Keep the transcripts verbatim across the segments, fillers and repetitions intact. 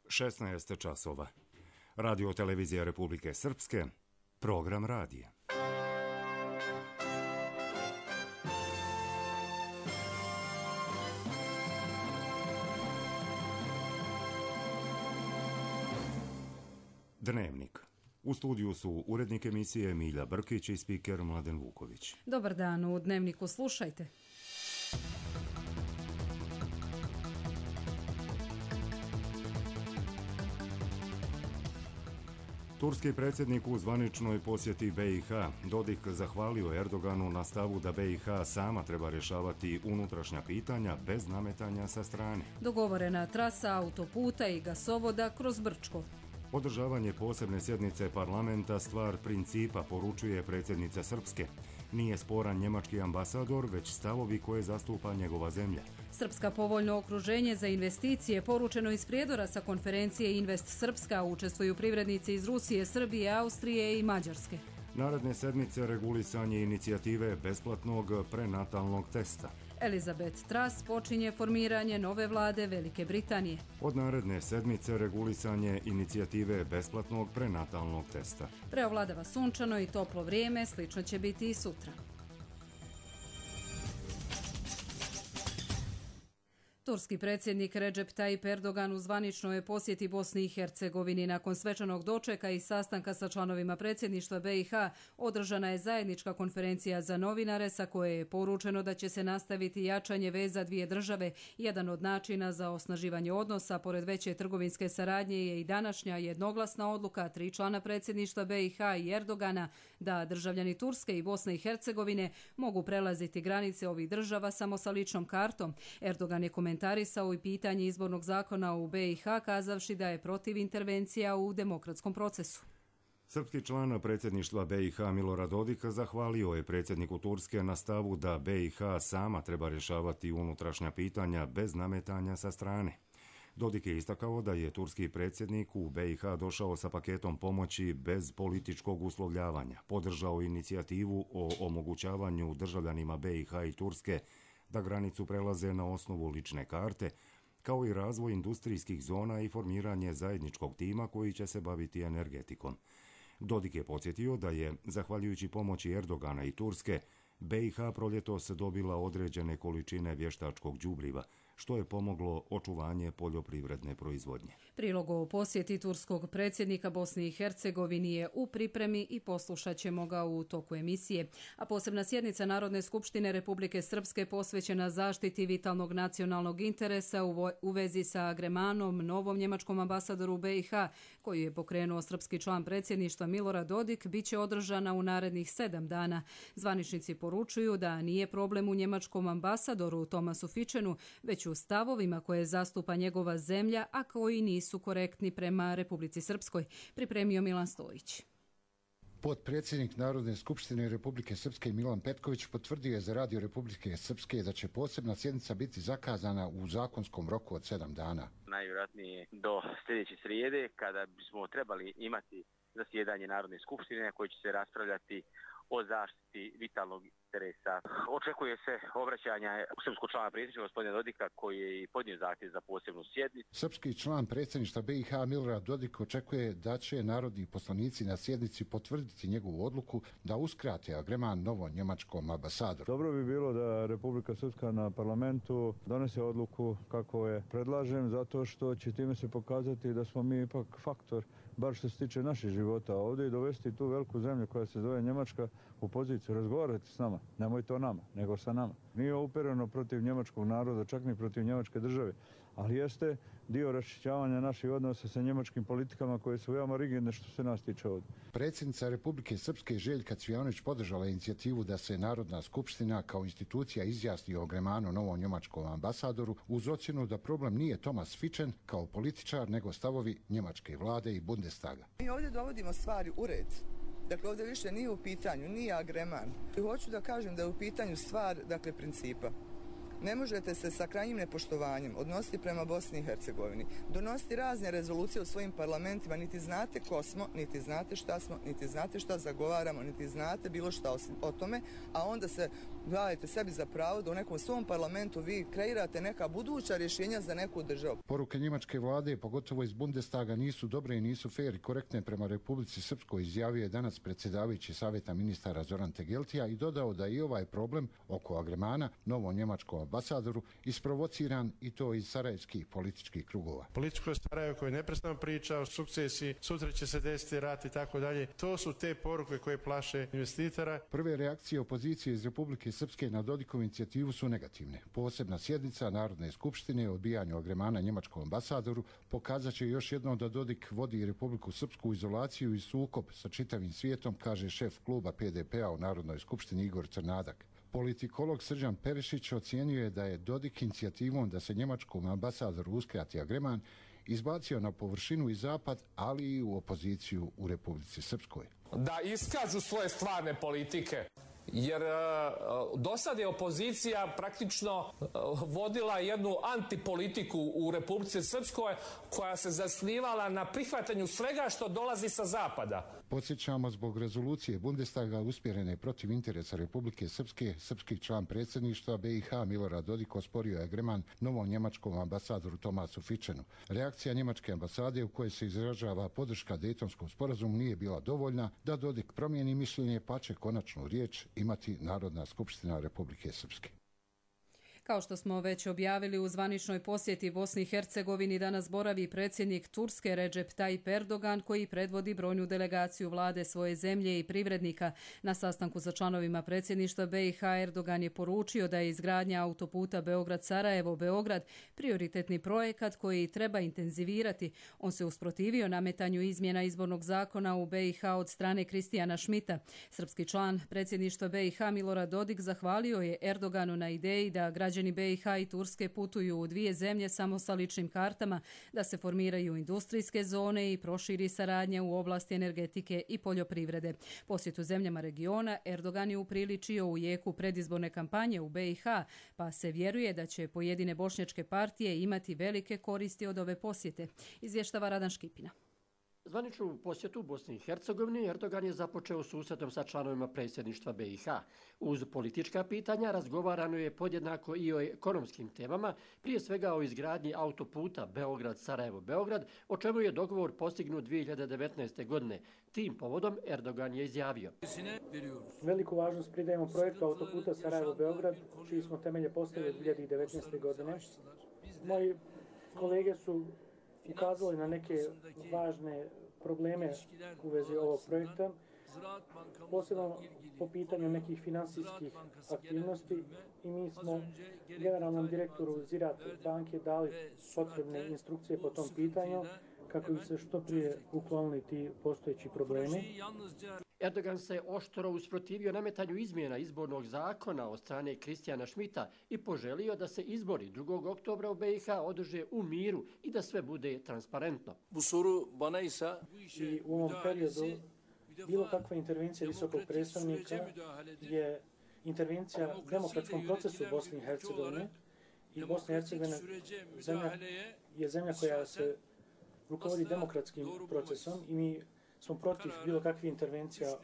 šesnaest časova. Radio televizija Republike Srpske, program radija. Dnevnik. U studiju su urednik emisije Milja Brkić i spiker Mladen Vuković. Dobar dan, u Dnevniku slušajte. Turski predsjednik u zvaničnoj posjeti B i H. Dodik zahvalio Erdoganu na stavu da B i H sama treba rješavati unutrašnja pitanja bez nametanja sa strane. Dogovorena trasa autoputa i gasovoda kroz Brčko. Održavanje posebne sjednice parlamenta stvar principa, poručuje predsjednica Srpske. Nije sporan njemački ambasador, već stavovi koje zastupa njegova zemlja. Srpska povoljno okruženje za investicije, poručeno iz prijedora sa konferencije Invest Srpska, učestvuju privrednici iz Rusije, Srbije, Austrije i Mađarske. Naredne sedmice regulisanje inicijative besplatnog prenatalnog testa. Elizabeth Truss počinje formiranje nove vlade Velike Britanije. Od naredne sedmice regulisanje inicijative besplatnog prenatalnog testa. Preovladava sunčano i toplo vrijeme, slično će biti i sutra. Turski predsjednik Recep Tayyip Erdogan u zvaničnoj posjeti Bosni i Hercegovini. Nakon svečanog dočeka i sastanka sa članovima predsjedništva B i H održana je zajednička konferencija za novinare sa koje je poručeno da će se nastaviti jačanje veza dvije države. Jedan od načina za osnaživanje odnosa pored veće trgovinske saradnje je i današnja jednoglasna odluka tri člana predsjedništva B i H i Erdogana da državljani Turske i Bosne i Hercegovine mogu prelaziti granice ovih država samo sa ličnom kartom. Erdogan je komentarisao komentarisao i pitanje izbornog zakona u B i H, kazavši da je protiv intervencija u demokratskom procesu. Srpski član predsjedništva B i H Milorad Dodik zahvalio je predsjedniku Turske na stavu da B i H sama treba rješavati unutrašnja pitanja bez nametanja sa strane. Dodik je istakao da je turski predsjednik u B i H došao sa paketom pomoći bez političkog uslovljavanja, podržao inicijativu o omogućavanju državljanima B i H i Turske da granicu prelaze na osnovu lične karte, kao i razvoj industrijskih zona i formiranje zajedničkog tima koji će se baviti energetikom. Dodik je podsjetio da je, zahvaljujući pomoći Erdogana i Turske, B i H proljetos dobila određene količine vještačkog đubriva, što je pomoglo očuvanje poljoprivredne proizvodnje. Prilog o posjeti turskog predsjednika Bosni i Hercegovini je u pripremi i poslušat ćemo ga u toku emisije. A posebna sjednica Narodne skupštine Republike Srpske posvećena zaštiti vitalnog nacionalnog interesa u, u vezi sa Gremanom, novom njemačkom ambasadoru u B i H, koji je pokrenuo srpski član predsjedništva Milorad Dodik, bit će održana u narednih sedam dana. Zvaničnici poručuju da nije problem u njemačkom ambasadoru Tomasu Fičenu, već u stavovima koje zastupa njegova zemlja, a koji nisu korektni prema Republici Srpskoj, pripremio Milan Stojić. Potpredsjednik Narodne skupštine Republike Srpske Milan Petković potvrdio je za Radio Republike Srpske da će posebna sjednica biti zakazana u zakonskom roku od sedam dana. Najvjerojatnije do sljedeće srijede, kada bismo trebali imati zasjedanje Narodne skupštine koje će se raspravljati o zaštiti vitalnog interesa. Očekuje se obraćanja srpskog člana predsjedništva gospodina Dodika koji je i podnio zahtjev za posebnu sjednicu. Srpski član predsjedništva B i H Milorad Dodik očekuje da će narodni poslanici na sjednici potvrditi njegovu odluku da uskrate agreman novom njemačkom ambasadoru. Dobro bi bilo da Republika Srpska na parlamentu donese odluku kako je predlažem, zato što će time se pokazati da smo mi ipak faktor, bar što se tiče naših života ovdje, i dovesti tu veliku zemlju koja se zove Njemačka u poziciju razgovarati s nama. Nemoj to nama, nego sa nama. Nije upereno protiv njemačkog naroda, čak ni protiv njemačke države, ali jeste dio raščišćavanja naših odnosa sa njemačkim politikama koje su veoma rigidne što se nas tiče ovdje. Predsjednica Republike Srpske Željka Cvijanović podržala inicijativu da se Narodna skupština kao institucija izjasni o Gremanu novom njemačkom ambasadoru uz ocjenu da problem nije Tomas Fičen kao političar, nego stavovi njemačke vlade i Bundestaga. Mi ovdje dovodimo stvari u red. Dakle, ovdje više nije u pitanju, nije agreman. I hoću da kažem da je u pitanju stvar, dakle, principa. Ne možete se sa krajnjim nepoštovanjem odnositi prema Bosni i Hercegovini, donositi razne rezolucije u svojim parlamentima, niti znate ko smo, niti znate šta smo, niti znate šta zagovaramo, niti znate bilo šta o tome, a onda se dajete sebi za pravo da u nekom svom parlamentu vi kreirate neka buduća rješenja za neku državu. Poruke njemačke vlade, pogotovo iz Bundestaga, nisu dobre i nisu fair i korektne prema Republici Srpskoj, izjavio je danas predsjedavajući Savjeta ministara Zoran Tegeltija i dodao da i ovaj problem oko agremana novom njemačkom ambasadoru isprovociran i to iz sarajevskih političkih krugova. Političko Sarajevo koje neprestano priča o sukcesiji, sutra će se desiti rat i tako dalje. To su te poruke koje plaše investitora. Prve reakcije opozicije iz Republike Srpske na Dodikovu inicijativu su negativne. Posebna sjednica Narodne skupštine o odbijanju agremana njemačkom ambasadoru pokazat će još jednom da Dodik vodi Republiku Srpsku u izolaciju i sukob sa čitavim svijetom, kaže šef kluba P D P-a u Narodnoj skupštini Igor Crnadak. Politikolog Srđan Perišić ocijenio je da je Dodik inicijativom da se njemačkom ambasadoru uskrati agreman izbacio na površinu i zapad, ali i u opoziciju u Republici Srpskoj. Da iskažu svoje stvarne politike, jer uh, do sad je opozicija praktično uh, vodila jednu antipolitiku u Republici Srpskoj koja se zasnivala na prihvatanju svega što dolazi sa zapada. Podsjećamo, zbog rezolucije Bundestaga usmjerene protiv interesa Republike Srpske, srpski član predsjedništva B i H Milorad Dodik osporio je agreman novom njemačkom ambasadoru Tomasu Fičenu. Reakcija njemačke ambasade u kojoj se izražava podrška Dejtonskom sporazumu nije bila dovoljna da Dodik promijeni mišljenje, pa će konačnu riječ imati Narodna skupština Republike Srpske. Kao što smo već objavili, u zvaničnoj posjeti Bosni i Hercegovini danas boravi predsjednik Turske Recep Tayyip Erdogan, koji predvodi brojnu delegaciju vlade svoje zemlje i privrednika. Na sastanku sa članovima predsjedništva B i H Erdogan je poručio da je izgradnja autoputa Beograd-Sarajevo-Beograd prioritetni projekat koji treba intenzivirati. On se usprotivio nametanju izmjena izbornog zakona u B i H od strane Kristijana Šmita. Srpski član predsjedništva B i H Milorad Dodik zahvalio je Erdoganu na ideji da građani B i H i Turske putuju u dvije zemlje samo sa ličnim kartama, da se formiraju industrijske zone i proširi saradnja u oblasti energetike i poljoprivrede. Posjetu zemljama regiona Erdogan je upriličio u jeku predizborne kampanje u B i H, pa se vjeruje da će pojedine bošnjačke partije imati velike koristi od ove posjete, izvještava Radan Škipina. Zvaničnu posjetu Bosni i Hercegovini Erdogan je započeo susretom sa članovima predsjedništva B i H. Uz politička pitanja razgovarano je podjednako i o ekonomskim temama, prije svega o izgradnji autoputa Beograd-Sarajevo-Beograd, o čemu je dogovor postignut dvije hiljade devetnaeste. godine. Tim povodom Erdogan je izjavio: Veliku važnost pridajemo projektu autoputa Sarajevo-Beograd, čiji smo temelje postavili dvije hiljade devetnaeste. godine. Moji kolege su ukazali na neke važne probleme u vezi ovog projekta, posebno po pitanju nekih finansijskih aktivnosti, i mi smo generalnom direktoru Ziraat banke dali potrebne instrukcije po tom pitanju kako bi se što prije uklonili ti postojeći problemi. Erdogan se oštro usprotivio nametanju izmjena izbornog zakona od strane Kristijana Šmita i poželio da se izbori drugog oktobra u B i H održe u miru i da sve bude transparentno. I u ovom periodu bilo kakva intervencija visokog predstavnika je intervencija u demokratskom procesu u Bosni i Hercegovini, i Bosna i Hercegovina zemlja, je zemlja koja se rukovodi demokratskim procesom i mi smo protiv bilo kakvih intervencija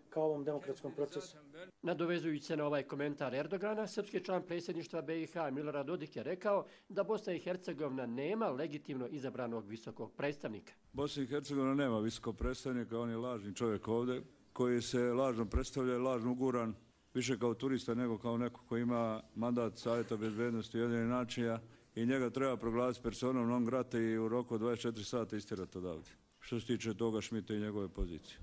kao ovom demokratskom procesu. Nadovezujući se na ovaj komentar Erdogana, srpski član predsjedništva B i H Milorad Dodik je rekao da Bosna i Hercegovina nema legitimno izabranog visokog predstavnika. Bosna i Hercegovina nema visokog predstavnika, on je lažni čovjek ovdje koji se lažno predstavlja i lažno uguran, više kao turista nego kao neko koji ima mandat Savjeta bezbednosti Ujedinjenih nacija, i njega treba proglasiti personom non grata i u roku od dvadeset četiri sata istirati odavde. Što se tiče toga Šmita i njegove pozicije.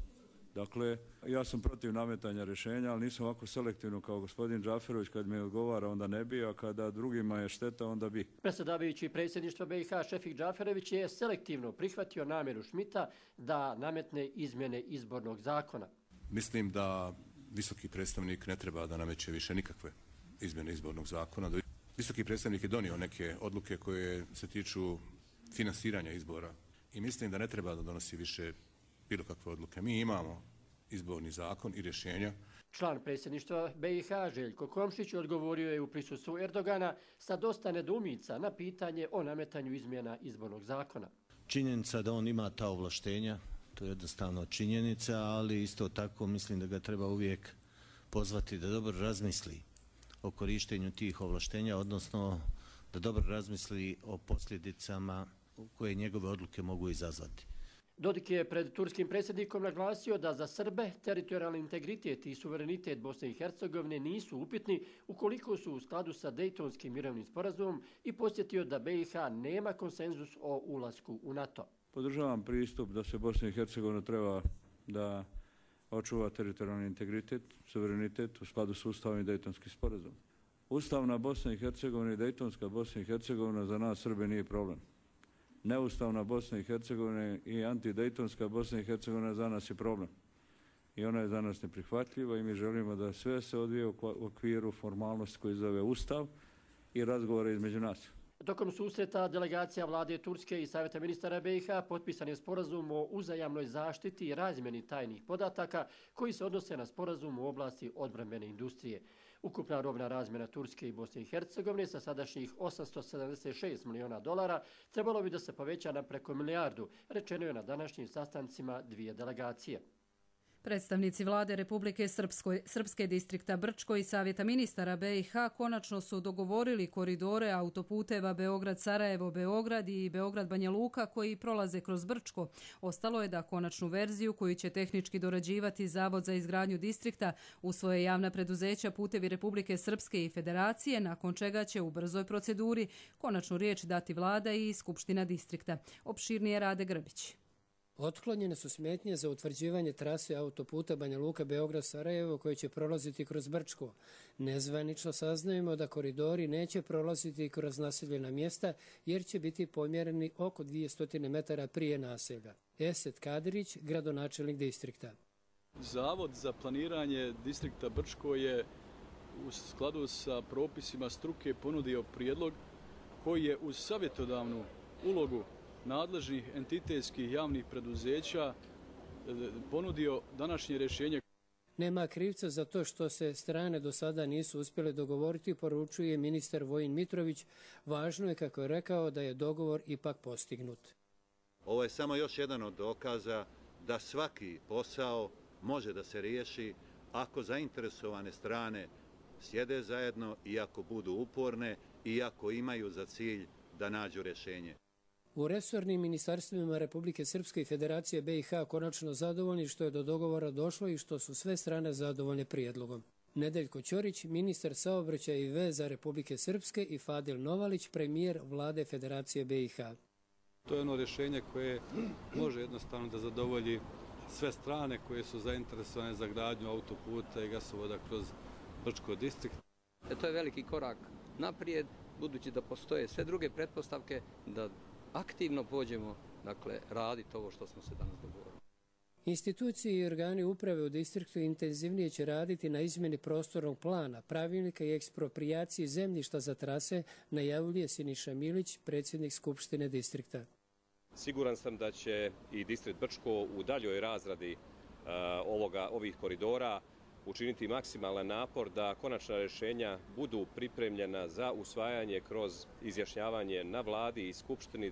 Dakle, ja sam protiv nametanja rješenja, ali nisam ovako selektivno kao gospodin Džaferović. Kad mi odgovara, onda ne bi, a kada drugima je šteta, onda bi. Predsjedavajući predsjedništva B i H Šefik Džaferović je selektivno prihvatio namjeru Šmita da nametne izmjene izbornog zakona. Mislim da visoki predstavnik ne treba da nameće više nikakve izmjene izbornog zakona. Visoki predstavnik je donio neke odluke koje se tiču finansiranja izbora i mislim da ne treba da donosi više bilo kakve odluke. Mi imamo izborni zakon i rješenja. Član predsjedništva B i H Željko Komšić odgovorio je u prisustvu Erdogana sa dosta nedoumica na pitanje o nametanju izmjena izbornog zakona. Činjenica da on ima ta ovlaštenja, to je jednostavno činjenica, ali isto tako mislim da ga treba uvijek pozvati da dobro razmisli o korištenju tih ovlaštenja, odnosno da dobro razmisli o posljedicama koje njegove odluke mogu izazvati. Dodik je pred turskim predsjednikom naglasio da za Srbe teritorijalni integritet i suverenitet Bosne i Hercegovine nisu upitni ukoliko su u skladu sa Dejtonskim mirovnim sporazumom i podsjetio da B i H nema konsenzus o ulasku u NATO. Podržavam pristup da se Bosna i Hercegovina treba da očuva teritorijalni integritet, suverenitet u skladu s Ustavom i Dejtonskim sporazumom. Ustavna Bosna i Hercegovina i Dejtonska Bosna i Hercegovina za nas Srbe nije problem. Neustavna Bosna i Hercegovina i antidejtonska Bosna i Hercegovina za nas je problem. I ona je za nas neprihvatljiva i mi želimo da sve se odvije u okviru formalnosti koji zove Ustav i razgovore između nas. Tokom susreta delegacija vlade Turske i Savjeta ministara B i H potpisan je sporazum o uzajamnoj zaštiti i razmjeni tajnih podataka koji se odnose na sporazum u oblasti odbrambene industrije. Ukupna robna razmjena Turske i Bosne i Hercegovine sa sadašnjih osamsto sedamdeset šest miliona dolara trebalo bi da se poveća na preko milijardu, rečeno je na današnjim sastancima dvije delegacije. Predstavnici vlade Republike Srpskoj, Srpske distrikta Brčko i Savjeta ministara B i H konačno su dogovorili koridore autoputeva Beograd-Sarajevo-Beograd i Beograd-Banja Luka koji prolaze kroz Brčko. Ostalo je da konačnu verziju koju će tehnički dorađivati Zavod za izgradnju distrikta u svoje javna preduzeća Putevi Republike Srpske i Federacije, nakon čega će u brzoj proceduri konačnu riječ dati vlada i Skupština distrikta. Opširnije Rade Grbić. Otklonjene su smetnje za utvrđivanje trase autoputa Banja Luka Beograd-Sarajevo koji će prolaziti kroz Brčko. Nezvanično saznajemo da koridori neće prolaziti kroz naseljena mjesta jer će biti pomjereni oko dvjesto metara prije naselja. Esed Kadirić, gradonačelnik distrikta. Zavod za planiranje distrikta Brčko je u skladu sa propisima struke ponudio prijedlog koji je uz savjetodavnu ulogu nadležnih entitetskih javnih preduzeća ponudio današnje rješenje. Nema krivca za to što se strane do sada nisu uspjele dogovoriti, poručuje ministar Vojin Mitrović. Važno je, kako je rekao, da je dogovor ipak postignut. Ovo je samo još jedan od dokaza da svaki posao može da se riješi ako zainteresovane strane sjede zajedno i ako budu uporne i ako imaju za cilj da nađu rješenje. U resornim ministarstvima Republike Srpske i Federacije B i H konačno zadovoljni što je do dogovora došlo i što su sve strane zadovoljne prijedlogom. Nedeljko Ćorić, ministar saobraćaja i veza Republike Srpske, i Fadil Novalić, premijer vlade Federacije B i H. To je ono rješenje koje može jednostavno da zadovolji sve strane koje su zainteresovane za gradnju autoputa i gasovoda kroz Brčko distrikt. To je veliki korak naprijed, budući da postoje sve druge pretpostavke da aktivno pođemo, dakle, raditi ovo što smo se danas dogovorili. Institucije i organi uprave u distriktu intenzivnije će raditi na izmjeni prostornog plana, pravilnika i ekspropriaciji zemljišta za trase, najavljuje Siniša Milić, predsjednik Skupštine distrikta. Siguran sam da će i distrikt Brčko u daljoj razradi uh, ovoga, ovih koridora učiniti maksimalan napor da konačna rješenja budu pripremljena za usvajanje kroz izjašnjavanje na vladi i Skupštini.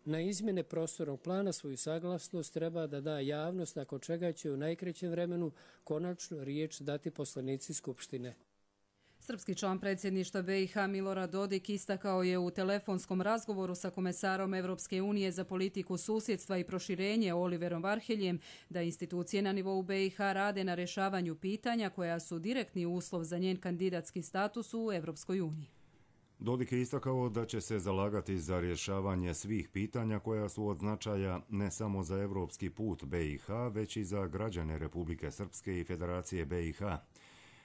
Na izmjene prostornog plana svoju saglasnost treba da da javnost, nakon čega će u najkraćem vremenu konačnu riječ dati poslanici Skupštine. Srpski član predsjedništva B i H Milorad Dodik istakao je u telefonskom razgovoru sa komesarom Evropske unije za politiku susjedstva i proširenje Oliverom Varheljem da institucije na nivou B i H rade na rješavanju pitanja koja su direktni uslov za njen kandidatski status u Evropskoj uniji. Dodik je istakao da će se zalagati za rješavanje svih pitanja koja su od značaja ne samo za evropski put B i H, već i za građane Republike Srpske i Federacije B i H.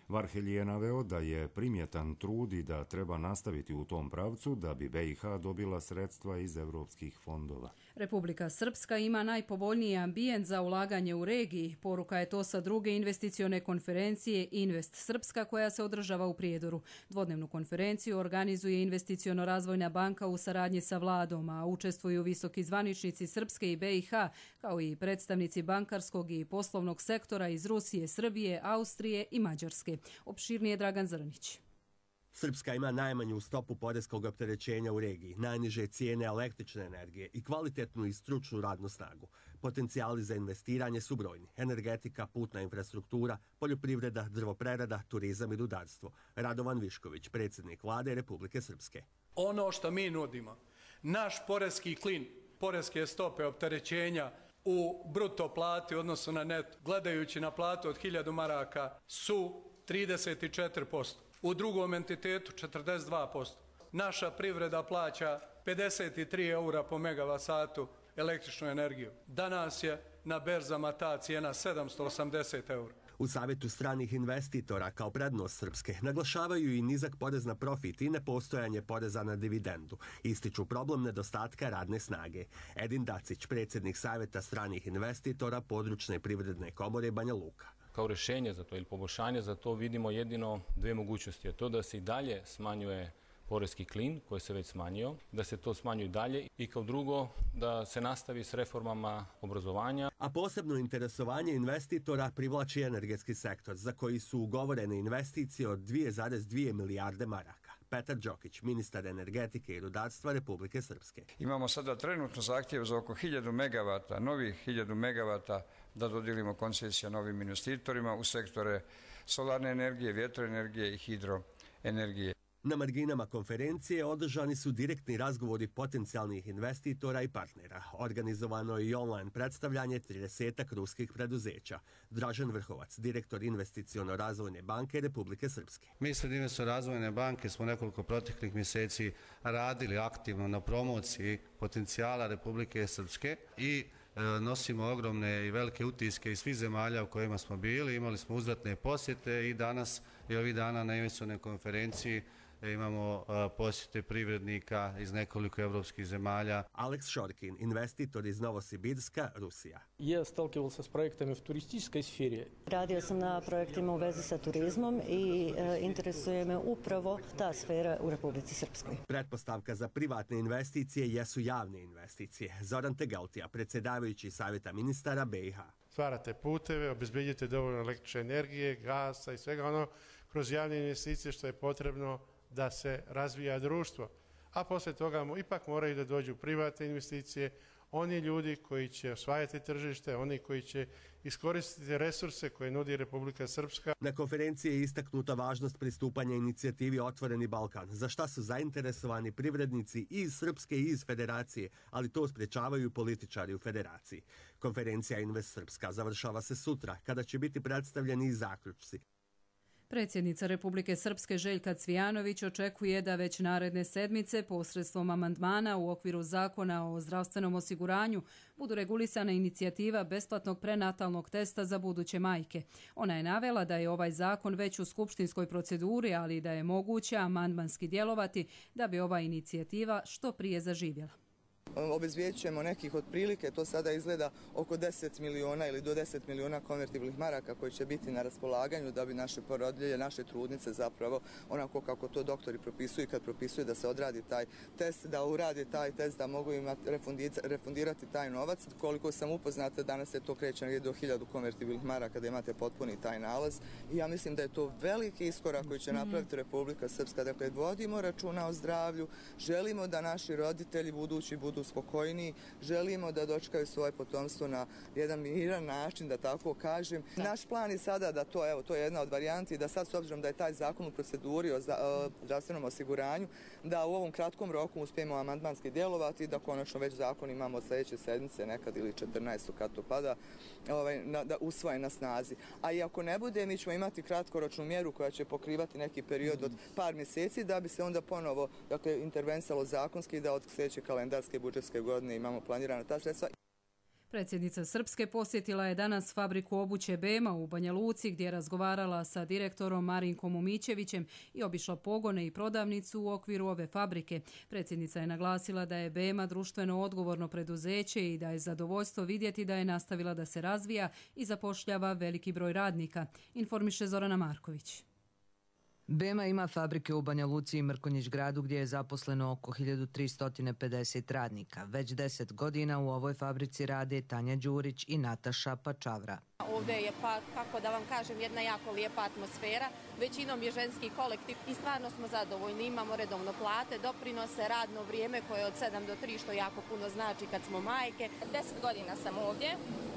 Varhelj je naveo da je primjetan trud i da treba nastaviti u tom pravcu da bi B i H dobila sredstva iz evropskih fondova. Republika Srpska ima najpovoljniji ambijent za ulaganje u regiji. Poruka je to sa druge investicione konferencije Invest Srpska koja se održava u Prijedoru. Dvodnevnu konferenciju organizuje Investiciono-razvojna banka u saradnji sa vladom, a učestvuju visoki zvaničnici Srpske i B i H, kao i predstavnici bankarskog i poslovnog sektora iz Rusije, Srbije, Austrije i Mađarske. Opširnije Dragan Zrnić. Srpska ima najmanju stopu poreskog opterećenja u regiji, najniže cijene električne energije i kvalitetnu i stručnu radnu snagu. Potencijali za investiranje su brojni. Energetika, putna infrastruktura, poljoprivreda, drvoprerada, turizam i rudarstvo. Radovan Višković, predsjednik vlade Republike Srpske. Ono što mi nudimo, naš poreski klin, poreske stope opterećenja u bruto plati u odnosu na net, gledajući na platu od hiljadu maraka, su trideset četiri posto. U drugom entitetu četrdeset dva posto. Naša privreda plaća pedeset tri eura po megavat satu električnu energiju. Danas je na berzama ta cijena sedamsto osamdeset eura. U Savjetu stranih investitora kao prednost Srpske naglašavaju i nizak porez na profit i nepostojanje poreza na dividendu. Ističu problem nedostatka radne snage. Edin Dacić, predsjednik Savjeta stranih investitora područne privredne komore Banja Luka. Kao rješenje za to ili poboljšanje za to vidimo jedino dve mogućnosti. A to da se i dalje smanjuje poreski klin koji se već smanjio, da se to smanjuje dalje i kao drugo da se nastavi s reformama obrazovanja. A posebno interesovanje investitora privlači energetski sektor za koji su ugovorene investicije od dvije zarez dvije milijarde maraka. Petar Đokić, ministar energetike i rudarstva Republike Srpske. Imamo sada trenutno zahtjev za oko hiljadu megavata, novih hiljadu megavata da dodijelimo koncesije novim investitorima u sektore solarne energije, vjetroenergije i hidroenergije. Na marginama konferencije održani su direktni razgovori potencijalnih investitora i partnera. Organizovano je i online predstavljanje tridesetak ruskih preduzeća. Dražen Vrhovac, direktor Investiciono-razvojne banke Republike Srpske. Mi ispred Investiciono-razvojne banke smo nekoliko proteklih mjeseci radili aktivno na promociji potencijala Republike Srpske i nosimo ogromne i velike utiske iz svih zemalja u kojima smo bili. Imali smo uzvratne posjete i danas i ovih dana na investicionoj konferenciji imamo posjete privrednika iz nekoliko evropskih zemalja. Aleks Šorkin, investitor iz Novosibirska, Rusija. Ja stalkival se s projektama u turističkoj sferi. Radio sam na projektima u vezi sa turizmom i e, interesuje me upravo ta sfera u Republici Srpskoj. Pretpostavka za privatne investicije jesu javne investicije. Zoran Tegaltija, predsjedavajući Savjeta ministara be i ha. Stvarate puteve, obezbedjite dovoljno električne energije, gasa i svega ono kroz javne investicije što je potrebno da se razvija društvo. A posle toga ipak moraju da dođu privatne investicije, oni ljudi koji će osvajati tržište, oni koji će iskoristiti resurse koje nudi Republika Srpska. Na konferenciji je istaknuta važnost pristupanja inicijativi Otvoreni Balkan, za šta su zainteresovani privrednici i iz Srpske i iz Federacije, ali to sprečavaju političari u Federaciji. Konferencija Invest Srpska završava se sutra, kada će biti predstavljeni i zaključci. Predsjednica Republike Srpske Željka Cvijanović očekuje da već naredne sedmice posredstvom amandmana u okviru zakona o zdravstvenom osiguranju budu regulisana inicijativa besplatnog prenatalnog testa za buduće majke. Ona je navela da je ovaj zakon već u skupštinskoj proceduri, ali da je moguće amandmanski djelovati da bi ova inicijativa što prije zaživjela. Obezvijećujemo nekih otprilike, to sada izgleda oko deset miliona ili do deset miliona konvertibilnih maraka koji će biti na raspolaganju da bi naše porodilje, naše trudnice zapravo onako kako to doktori propisuju kad propisuju da se odradi taj test, da uradi taj test, da mogu imati refundirati taj novac. Koliko sam upoznata, danas se to kreće do hiljadu konvertibilnih maraka da imate potpuni taj nalaz i ja mislim da je to veliki iskorak koji će napraviti Republika Srpska. Dakle, vodimo računa o zdravlju, želimo da naši roditelji budući budu spokojniji, želimo da dočekaju svoje potomstvo na jedan miran način, da tako kažem. Naš plan je sada da to, evo, to je jedna od varijanti, da sad s obzirom da je taj zakon u proceduri o zdravstvenom osiguranju, da u ovom kratkom roku uspijemo amandmanski djelovati i da konačno već zakon imamo od sljedeće sedmice nekad ili četrnaestog kad to pada, ovaj, na, da usvoje na snazi. A i ako ne bude, mi ćemo imati kratkoročnu mjeru koja će pokrivati neki period od par mjeseci da bi se onda ponovo, dakle, intervensalo zakonski da od sljedeće kalendarske budžetske godine imamo planirana ta sredstva. Predsjednica Srpske posjetila je danas fabriku obuće Bema u Banja Luci gdje je razgovarala sa direktorom Marinkom Umićevićem i obišla pogone i prodavnicu u okviru ove fabrike. Predsjednica je naglasila da je Bema društveno odgovorno preduzeće i da je zadovoljstvo vidjeti da je nastavila da se razvija i zapošljava veliki broj radnika, informiše Zorana Marković. Bema ima fabrike u Banja Luci i Mrkonjić gradu gdje je zaposleno oko hiljadu tristo pedeset radnika. Već deset godina u ovoj fabrici rade Tanja Đurić i Nataša Pačavra. Ovdje je, pa, kako da vam kažem, jedna jako lijepa atmosfera. Većinom je ženski kolektiv i stvarno smo zadovoljni. Imamo redovno plate, doprinose, radno vrijeme koje je od sedam do tri, što jako puno znači kad smo majke. Deset godina sam ovdje,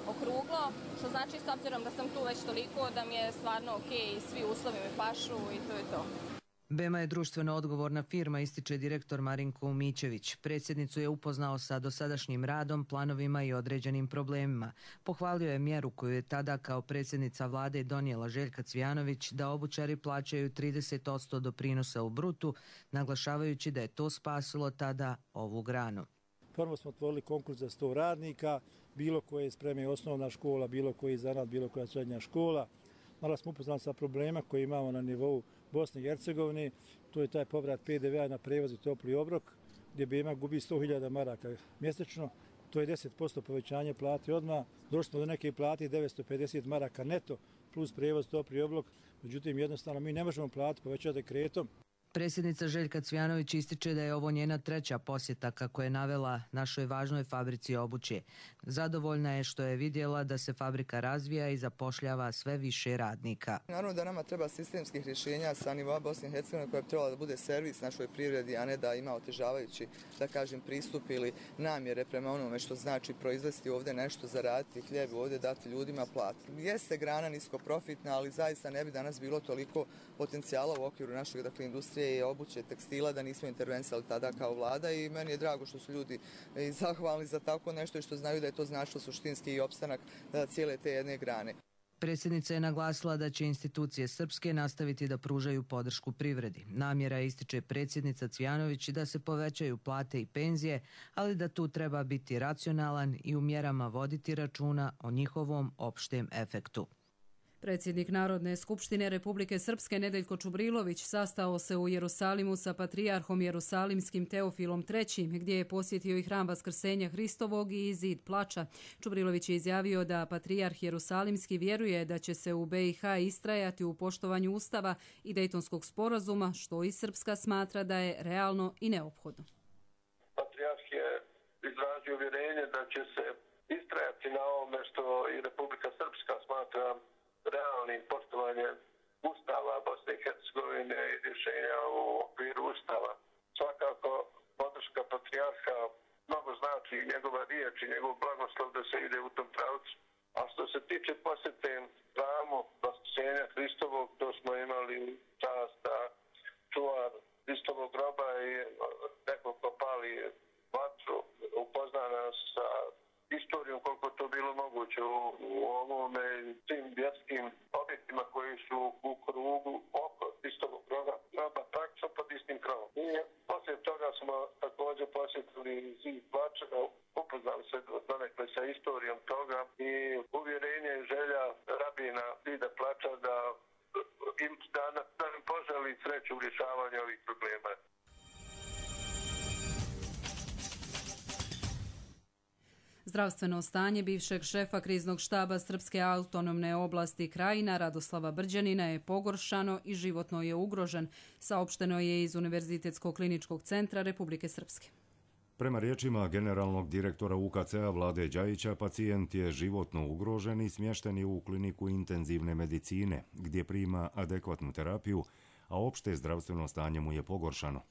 okruglo, što znači s obzirom da sam tu već toliko da mi je stvarno ok i svi uslovi me pašu i to je to. Bema je društveno odgovorna firma, ističe direktor Marinko Umićević. Predsjednicu je upoznao sa dosadašnjim radom, planovima i određenim problemima. Pohvalio je mjeru koju je tada kao predsjednica vlade donijela Željka Cvijanović da obućari plaćaju trideset posto doprinosa u brutu, naglašavajući da je to spasilo tada ovu granu. Prvo smo otvorili konkurs za sto radnika, bilo koje spreme osnovna škola, bilo koji zanat, bilo koja srednja škola. Malo smo upoznali sa problema koje imamo na nivou Bosne i Hercegovine, to je taj povrat pe de vea na prevoz i topli obrok, gdje Bema gubi sto hiljada maraka mjesečno, to je deset posto povećanje plate odmah. Došli smo do neke plate devetsto pedeset maraka neto plus prevoz topli obrok, međutim jednostavno mi ne možemo plati povećati dekretom. Predsjednica Željka Cvijanović ističe da je ovo njena treća posjeta, kako je navela, našoj važnoj fabrici obuće. Zadovoljna je što je vidjela da se fabrika razvija i zapošljava sve više radnika. Naravno da nama treba sistemskih rješenja sa nivoa Bosne i Hercegovine koja bi trebala da bude servis našoj privredi, a ne da ima otežavajući, da kažem, pristup ili namjere prema onome što znači proizvesti ovdje nešto, zaraditi hljeb, ovdje dati ljudima platu. Jeste grana niskoprofitna, ali zaista ne bi danas bilo toliko potencijala u okviru našeg, dakle, industrije i obuće, tekstila, da nismo intervenisali tada kao vlada i meni je drago što su ljudi zahvalni za tako nešto i što znaju da je to značilo suštinski i opstanak cijele te jedne grane. Predsjednica je naglasila da će institucije srpske nastaviti da pružaju podršku privredi. Namjera ističe predsjednica Cvijanović da se povećaju plate i penzije, ali da tu treba biti racionalan i u mjerama voditi računa o njihovom opštem efektu. Predsjednik Narodne skupštine Republike Srpske Nedeljko Čubrilović sastao se u Jerusalimu sa patrijarhom Jerusalimskim Teofilom trećim, gdje je posjetio i hram Vaskrsenja Hristovog i zid plača. Čubrilović je izjavio da patrijarh Jerusalimski vjeruje da će se u be i ha istrajati u poštovanju Ustava i Dejtonskog sporazuma, što i Srpska smatra da je realno i neophodno. Patrijarh je izrazio uvjerenje da će se istrajati na ovome što i Republika Srpska smatra realnim poštovanjem Ustava Bosne i Hercegovine i rješenja u okviru Ustava. Svakako podrška patrijarha mnogo znači, njegova riječ i njegov blagoslov da se ide u tom pravcu. A što se tiče posjete hramu Vaskrsenja Hristovog, to smo imali čast da čuvar Hristovog groba i neko ko pali vatru upozna nas sa istorijom koliko to bilo moguće u, u ovome tim vjerskim objektima koji su u krugu oko Hristovog groba, praktično pod istim krovom. I poslije toga smo također posjetili zid plača, upoznali se donekle sa istorijom toga i uvjerenje i želja rabina zida plača da im da, da im poželi sreću u rješavanju ovih problema. Zdravstveno stanje bivšeg šefa kriznog štaba Srpske autonomne oblasti Krajina Radoslava Brđanina je pogoršano i životno je ugrožen, saopšteno je iz Univerzitetskog kliničkog centra Republike Srpske. Prema riječima generalnog direktora u ka ce a Vlade Đajića, pacijent je životno ugrožen i smješten je u kliniku intenzivne medicine, gdje prima adekvatnu terapiju, a opšte zdravstveno stanje mu je pogoršano.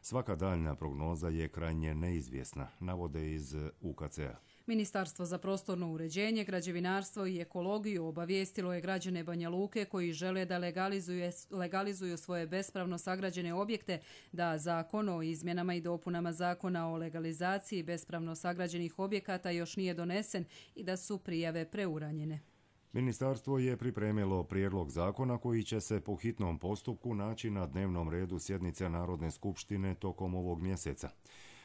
Svaka daljna prognoza je krajnje neizvjesna, navode iz u ka ce a. Ministarstvo za prostorno uređenje, građevinarstvo i ekologiju obavijestilo je građane Banja Luke koji žele da legalizuju, legalizuju svoje bespravno sagrađene objekte da zakon o izmjenama i dopunama zakona o legalizaciji bespravno sagrađenih objekata još nije donesen i da su prijave preuranjene. Ministarstvo je pripremilo prijedlog zakona koji će se po hitnom postupku naći na dnevnom redu sjednice Narodne skupštine tokom ovog mjeseca.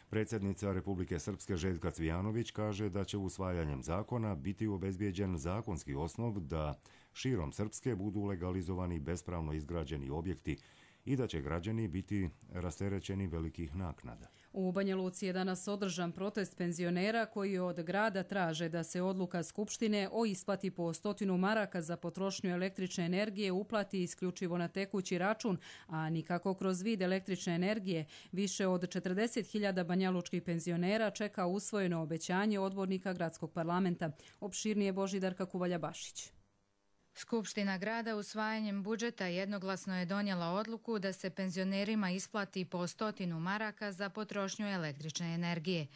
Predsjednica Republike Srpske Željka Cvijanović kaže da će usvajanjem zakona biti obezbijeđen zakonski osnov da širom Srpske budu legalizovani bespravno izgrađeni objekti i da će građani biti rasterećeni velikih naknada. U Banja Luci je danas održan protest penzionera koji od grada traže da se odluka Skupštine o isplati po stotinu maraka za potrošnju električne energije uplati isključivo na tekući račun, a nikako kroz vid električne energije. Više od četrdeset hiljada banjalučkih penzionera čeka usvojeno obećanje odbornika gradskog parlamenta. Opširnije Božidarka Kuvalja-Bašić. Skupština grada usvajanjem budžeta jednoglasno je donijela odluku da se penzionerima isplati po stotinu maraka za potrošnju električne energije.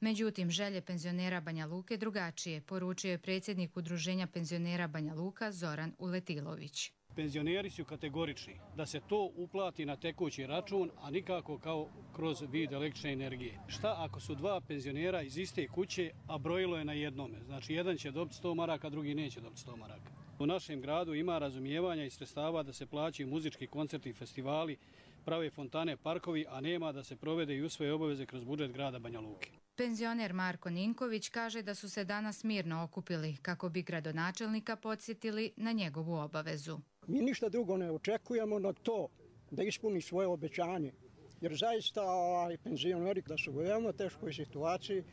Međutim, želje penzionera Banja Luke drugačije, poručio je predsjednik Udruženja penzionera Banja Luka Zoran Uletilović. Penzioneri su kategorični da se to uplati na tekući račun, a nikako kao kroz vid električne energije. Šta ako su dva penzionera iz iste kuće, a brojilo je na jednome? Znači, jedan će dobiti sto maraka, drugi neće dobiti sto maraka. U našem gradu ima razumijevanja i sredstava da se plaćaju muzički koncerti i festivali, prave fontane, parkovi, a nema da se provede i usvoje obaveze kroz budžet grada Banja Luke. Penzioner Marko Ninković kaže da su se danas mirno okupili kako bi gradonačelnika podsjetili na njegovu obavezu. Mi ništa drugo ne očekujemo na to da ispuni svoje obećanje, jer zaista ovaj, penzioneri da su u veoma teškoj situaciji.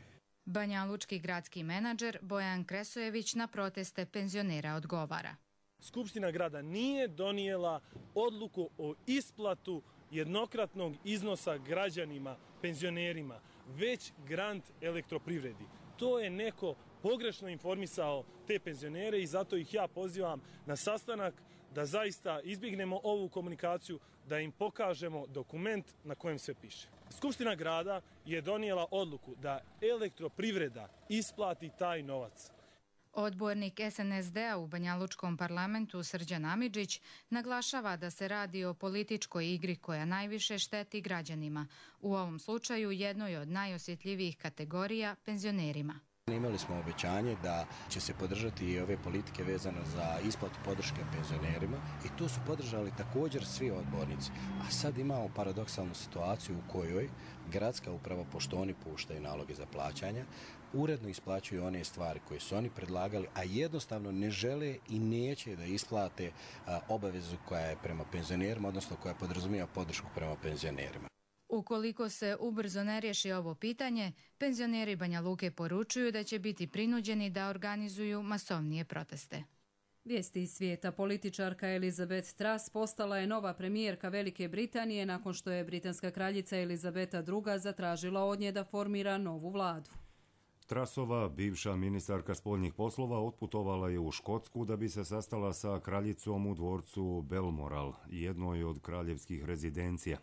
Banjalučki gradski menadžer Bojan Kresojević na proteste penzionera odgovara. Skupština grada nije donijela odluku o isplatu jednokratnog iznosa građanima, penzionerima, već grant elektroprivredi. To je neko pogrešno informisao te penzionere i zato ih ja pozivam na sastanak da zaista izbjegnemo ovu komunikaciju, da im pokažemo dokument na kojem sve piše. Skupština grada je donijela odluku da elektroprivreda isplati taj novac. Odbornik S N S D-a u Banjalučkom parlamentu Srđan Amidžić naglašava da se radi o političkoj igri koja najviše šteti građanima, u ovom slučaju jednoj od najosjetljivijih kategorija penzionerima. Imali smo obećanje da će se podržati i ove politike vezano za isplatu podrške penzionerima i tu su podržali također svi odbornici. A sad imamo paradoksalnu situaciju u kojoj gradska uprava, pošto oni puštaju naloge za plaćanja, uredno isplaćuju one stvari koje su oni predlagali, a jednostavno ne žele i neće da isplate a, obavezu koja je prema penzionerima, odnosno koja podrazumijeva podršku prema penzionerima. Ukoliko se ubrzo ne riješi ovo pitanje, penzioneri Banja Luke poručuju da će biti prinuđeni da organizuju masovnije proteste. Vijesti iz svijeta. Političarka Elizabeth Truss postala je nova premijerka Velike Britanije nakon što je britanska kraljica Elizabeta druga zatražila od nje da formira novu vladu. Trussova, bivša ministarka spoljnih poslova, otputovala je u Škotsku da bi se sastala sa kraljicom u dvorcu Balmoral, jednoj od kraljevskih rezidencija.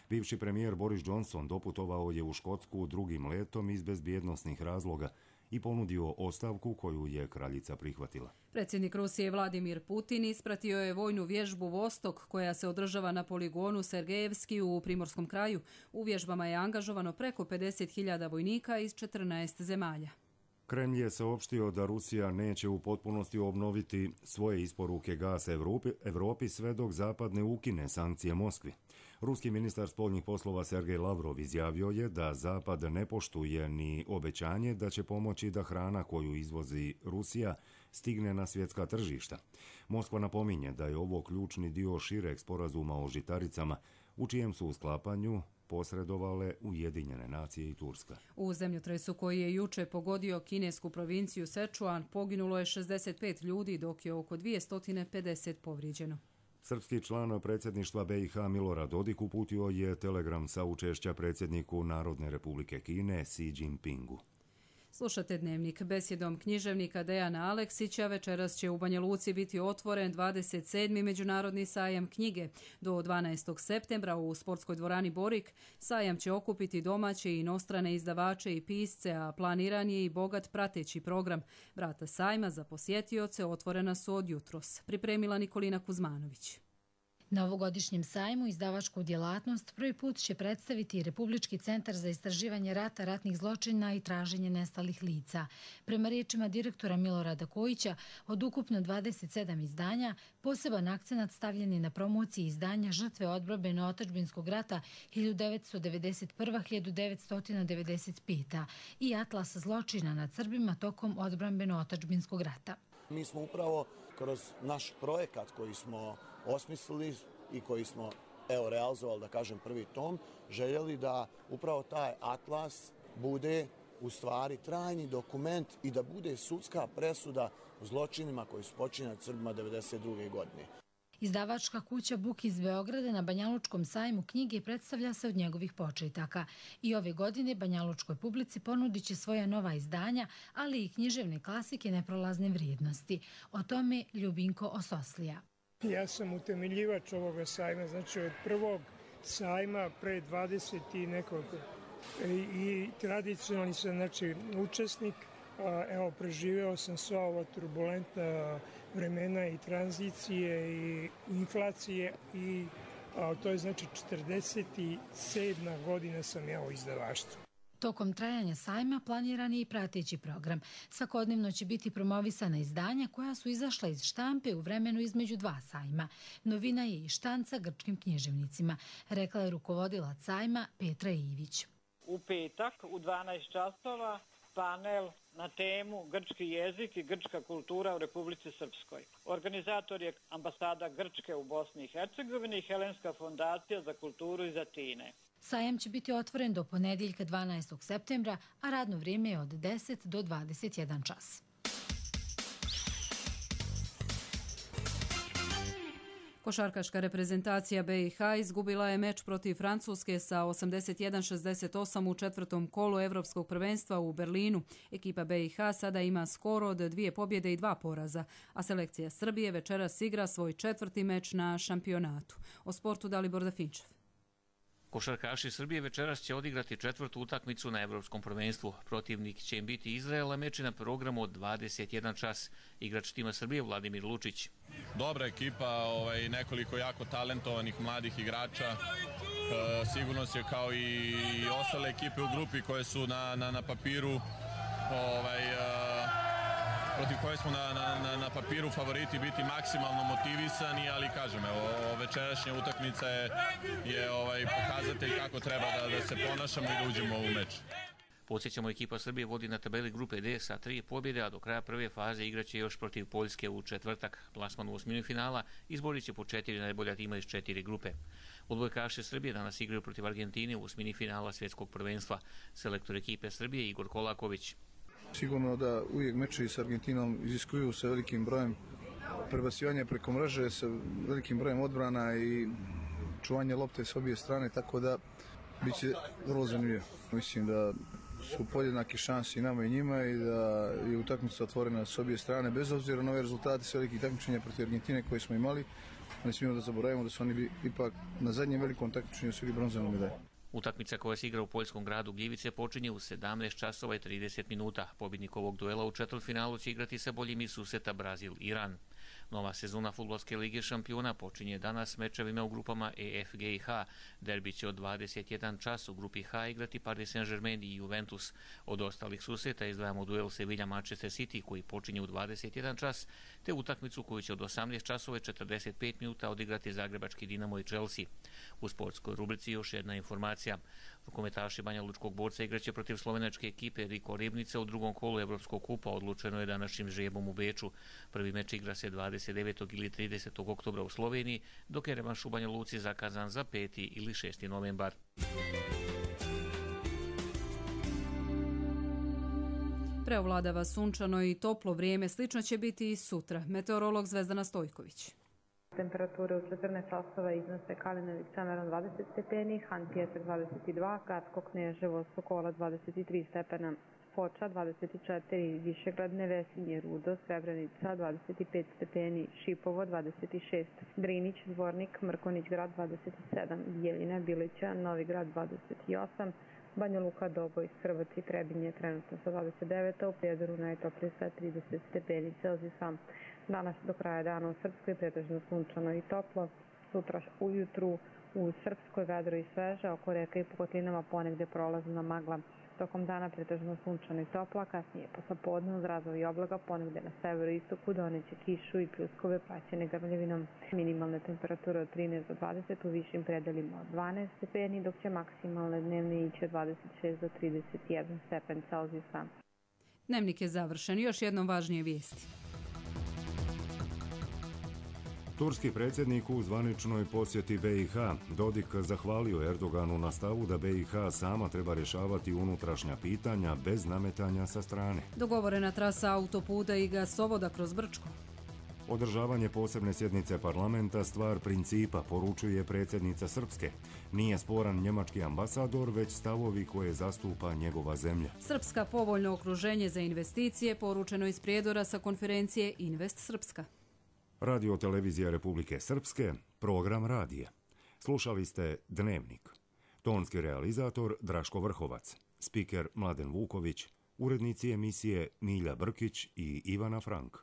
Bivši premijer Boris Johnson doputovao je u Škotsku drugim letom iz bezbjednosnih razloga i ponudio ostavku koju je kraljica prihvatila. Predsjednik Rusije Vladimir Putin ispratio je vojnu vježbu Vostok koja se održava na poligonu Sergejevski u Primorskom kraju. U vježbama je angažovano preko pedeset hiljada vojnika iz četrnaest zemalja. Kremlj je saopštio da Rusija neće u potpunosti obnoviti svoje isporuke gasa Evropi, Evropi sve dok Zapad ne ukine sankcije Moskvi. Ruski ministar spoljnih poslova Sergej Lavrov izjavio je da Zapad ne poštuje ni obećanje da će pomoći da hrana koju izvozi Rusija stigne na svjetska tržišta. Moskva napominje da je ovo ključni dio šireg sporazuma o žitaricama, u čijem su u sklapanju posredovale Ujedinjene nacije i Turska. U zemljotresu koji je juče pogodio kinesku provinciju Sečuan poginulo je šezdeset pet ljudi, dok je oko dvjesto pedeset povrijeđeno. Srpski član predsjedništva B i H Milorad Dodik uputio je telegram saučešća predsjedniku Narodne republike Kine Xi Jinpingu. Slušate Dnevnik. Besjedom književnika Dejana Aleksića večeras će u Banja Luci biti otvoren dvadeset sedmi Međunarodni sajam knjige. Do dvanaestog septembra u sportskoj dvorani Borik sajam će okupiti domaće i inostrane izdavače i pisce, a planiran je i bogat prateći program. Vrata sajma za posjetioce otvorena su od jutros. Pripremila Nikolina Kuzmanović. Na ovogodišnjem sajmu izdavačku djelatnost prvi put će predstaviti Republički centar za istraživanje rata, ratnih zločina i traženje nestalih lica. Prema riječima direktora Milorada Kojića, od ukupno dvadeset sedam izdanja, poseban akcenat stavljen je na promociji izdanja Žrtve odbrambeno-otadžbinskog rata hiljadu devetsto devedeset prve do hiljadu devetsto devedeset pete. i Atlas zločina nad Srbima tokom odbrambeno-otadžbinskog rata. Mi smo upravo kroz naš projekat koji smo osmislili i koji smo evo realizovali, da kažem, prvi tom, željeli da upravo taj atlas bude u stvari trajni dokument i da bude sudska presuda zločinima koji su počinjeni Srbima devedeset druge godine. Izdavačka kuća Buk iz Beograda na Banjalučkom sajmu knjige predstavlja se od njegovih početaka. I ove godine Banjalučkoj publici ponudit će svoja nova izdanja, ali i književne klasike neprolazne vrijednosti. O tome Ljubinko Ososlija. Ja sam utemeljivač ovoga sajma, znači od prvog sajma pre dvadeset i nekoliko. I tradicionalni sam, znači, učesnik. Evo, preživeo sam sva ova turbulentna vremena i tranzicije i inflacije i a, to je znači četrdeset sedma godina sam ja u izdavaštvu. Tokom trajanja sajma planiran je i prateći program. Svakodnevno će biti promovisana izdanja koja su izašla iz štampe u vremenu između dva sajma. Novina je i štanca grčkim književnicima, rekla je rukovodilac sajma Petra Ivić. U petak u dvanaest časova panel na temu grčki jezik i grčka kultura u Republici Srpskoj. Organizator je ambasada Grčke u Bosni i Hercegovini i Helenska fondacija za kulturu iz Atine. Sajam će biti otvoren do ponedjeljka dvanaestog septembra, a radno vrijeme je od deset do dvadeset jedan čas. Košarkaška reprezentacija B i H izgubila je meč protiv Francuske sa osamdeset jedan šezdeset osam u četvrtom kolu Evropskog prvenstva u Berlinu. Ekipa B i H sada ima skor od dvije pobjede i dva poraza, a selekcija Srbije večeras igra svoj četvrti meč na šampionatu. O sportu Dalibor Dafinčev. Košarkaši Srbije večeras će odigrati četvrtu utakmicu na Evropskom prvenstvu. Protivnik će im biti Izrael, a meč je na programu od dvadeset jedan čas. Igrač tima Srbije Vladimir Lučić. Dobra ekipa, ovaj, nekoliko jako talentovanih mladih igrača. E, sigurno se kao i ostale ekipe u grupi koje su na, na, na papiru ovaj, e, protiv koje smo na, na, na papiru favoriti biti maksimalno motivisani, ali kažem, evo, večerašnja utakmica je, je ovaj, pokazatelj kako treba da, da se ponašamo i da uđemo u meč. Podsjećamo, ekipa Srbije vodi na tabeli grupe D sa tri pobjede, a do kraja prve faze igraće još protiv Poljske u četvrtak. Plasman u osmini finala izborit će po četiri najbolja tima iz četiri grupe. Odbojkaši Srbije danas igraju protiv Argentine u osmini finala svjetskog prvenstva. Selektor ekipe Srbije Igor Kolaković. Sigurno da uvijek meči s Argentinom iziskuju sa velikim brojem prebacivanja preko mreže, sa velikim brojem odbrana i čuvanje lopte s obje strane, tako da bit će vrlo zanimljivo. Mislim da su podjednaki šansi i nama i njima i da je utakmica otvorena s obje strane, bez obzira na ove rezultate s velikih takmičenja protiv Argentine koje smo imali. Ne smijemo da zaboravimo da su oni bi ipak na zadnjem velikom takmičenju osvojili bronzanu medalju. Utakmica koja se igra u poljskom gradu Gljivice počinje u sedamnaest časova i trideset minuta. Pobjednik ovog duela u četvrtfinalu će igrati sa boljim iz suseta Brazil-Iran. Nova sezona Fudbalske lige šampiona počinje danas mečevima u grupama E, F, G i H. Derbi će od dvadeset jedan čas u grupi H igrati Paris Saint-Germain i Juventus. Od ostalih susreta izdvajamo duel Sevilla-Manchester City koji počinje u dvadeset jedan čas, te utakmicu koju će od osamnaest časova i četrdeset pet minuta odigrati Zagrebački Dinamo i Chelsea. U sportskoj rubrici još jedna informacija. Rukometaši Banja Lučkog Borca igraće protiv slovenačke ekipe Riko Ribnica u drugom kolu Evropskog kupa. Odlučeno je današnjim žrebom u Beču. Prvi meč igra se dvadeset devetog ili tridesetog oktobra u Sloveniji, dok je revanš u Banja Luci zakazan za peti ili šesti novembar. Preovladava sunčano i toplo vrijeme, slično će biti i sutra. Meteorolog Zvezdana Stojković. Temperature u četrnaest časova iznose Kalinović Semeron dvadeset stepeni, Han Pjesak dvadeset dva, Gatsko Kneževo Sokola dvadeset tri stepena, Foča dvadeset četiri, Višegrad Nevesinje Rudo Srebrenica dvadeset pet stepeni, Šipovo dvadeset šest, Drinić Zvornik Mrkonić Grad dvadeset sedam, Bijeljina Bilića Novi Grad dvadeset osam, Banja Luka Doboj Hrvaci Trebinje trenutno sa dvadeset devet, u Prijedoru najtoplije sa trideset stepeni Celzijusa. Danas do kraja dana u Srpskoj pretežno sunčano i toplo, sutra ujutru u Srpskoj vedro i sveže, oko reka i po kotlinama ponegde prolazna magla. Tokom dana pretežno sunčano i toplo, kasnije poslepodne uz razvoj oblaga ponegde na severu i istoku doneće kišu i pljuskove praćene grmljavinom. Minimalne temperature od trinaest do dvadeset, u višim predelima od dvanaest stepeni, dok će maksimalne dnevne ići od dvadeset šest do trideset jedan stepen Celzijusa. Dnevnik je završen. Još jednom važnije vijesti. Turski predsjednik u zvaničnoj posjeti be i ha. Dodik zahvalio Erdoganu na stavu da be i ha sama treba rješavati unutrašnja pitanja bez nametanja sa strane. Dogovorena trasa autoputa i gasovoda kroz Brčko. Održavanje posebne sjednice parlamenta stvar principa, poručuje predsjednica Srpske. Nije sporan njemački ambasador, već stavovi koje zastupa njegova zemlja. Srpska povoljno okruženje za investicije, poručeno iz Prijedora sa konferencije Invest Srpska. Radio televizija Republike Srpske, program radija. Slušali ste Dnevnik. Tonski realizator Draško Vrhovac, spiker Mladen Vuković, urednici emisije Milja Brkić i Ivana Frank.